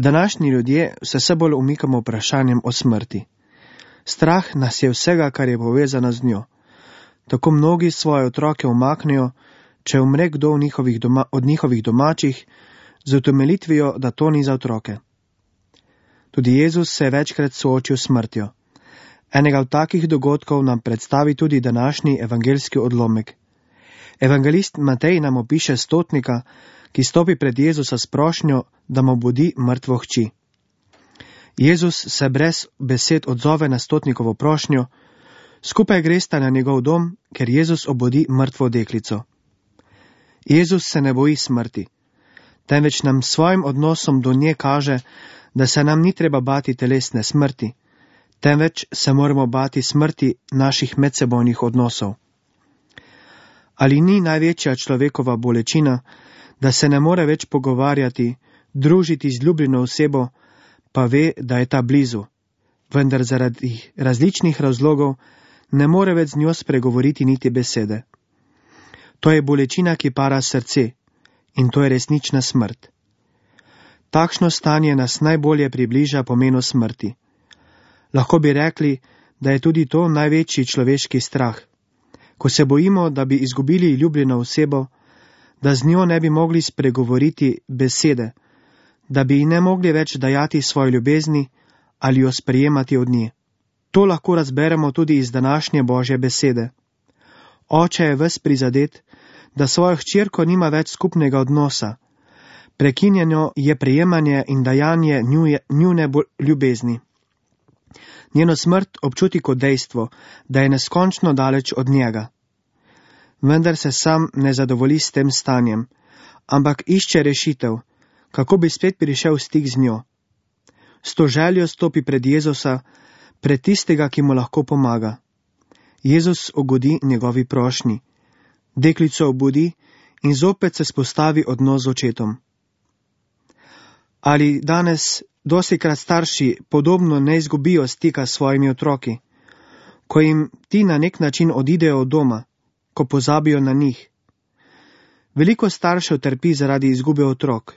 Današnji ljudje se bolj umikamo vprašanjem o smrti. Strah nas je vsega, kar je povezano z njo. Tako mnogi svoje otroke umaknejo, če umre kdo od njihovih domačih, z utemeljitvijo, da to ni za otroke. Tudi Jezus se je večkrat soočil s smrtjo. Enega od takih dogodkov nam predstavi tudi današnji evangeljski odlomek. Evangelist Matej nam opiše stotnika, ki stopi pred Jezusa s prošnjo, da mu obudi mrtvo hči. Jezus se brez besed odzove na stotnikovo prošnjo, skupaj gresta na njegov dom, ker Jezus obudi mrtvo deklico. Jezus se ne boji smrti, temveč nam svojim odnosom do nje kaže, da se nam ni treba bati telesne smrti, temveč se moramo bati smrti naših medsebojnih odnosov. Ali ni največja človekova bolečina, da se ne more več pogovarjati, družiti z ljubljeno osebo, pa ve, da je ta blizu, vendar zaradi različnih razlogov ne more več z njo spregovoriti niti besede. To je bolečina, ki para srce, in to je resnična smrt. Takšno stanje nas najbolje približa pomenu smrti. Lahko bi rekli, da je tudi to največji človeški strah, ko se bojimo, da bi izgubili ljubljeno osebo, da z njo ne bi mogli spregovoriti besede, da bi ji ne mogli več dajati svoje ljubezni ali jo sprejemati od nje. To lahko razberemo tudi iz današnje Božje besede. Oče je ves prizadet, da svojo hčerko nima več skupnega odnosa. Prekinjeno je prejemanje in dajanje njune ljubezni. Njeno smrt občuti kot dejstvo, da je neskončno daleč od njega. Vendar se sam ne zadovolji s tem stanjem, ampak išče rešitev, kako bi spet prišel v stik z njo. S to željo stopi pred Jezusa, pred tistega, ki mu lahko pomaga. Jezus ugodi njegovi prošnji. Deklico obudi in zopet se spostavi odnos z očetom. Ali danes dostikrat starši podobno ne izgubijo stika s svojimi otroki, ko jim ti na nek način odidejo od doma, ko pozabijo na njih? Veliko staršev trpi zaradi izgube otrok,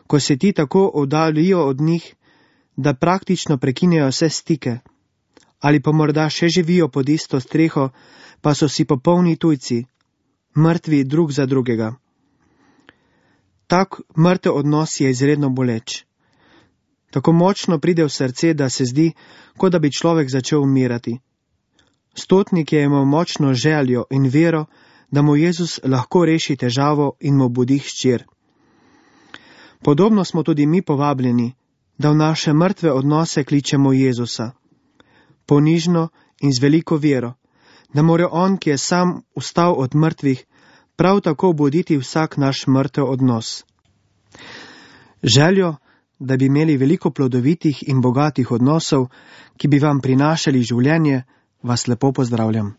ko se ti tako oddaljijo od njih, da praktično prekinejo vse stike, ali pa morda še živijo pod isto streho, pa so si popolni tujci, mrtvi drug za drugega. Tak mrtev odnos je izredno boleč. Tako močno pride v srce, da se zdi, kot da bi človek začel umirati. Stotnik je imel močno željo in vero, da mu Jezus lahko reši težavo in mu obudi hčer. Podobno smo tudi mi povabljeni, da v naše mrtve odnose kličemo Jezusa. Ponižno in z veliko vero, da mora on, ki je sam vstal od mrtvih, prav tako obuditi vsak naš mrtev odnos. Željo, da bi imeli veliko plodovitih in bogatih odnosov, ki bi vam prinašali življenje, vas lepo pozdravljam.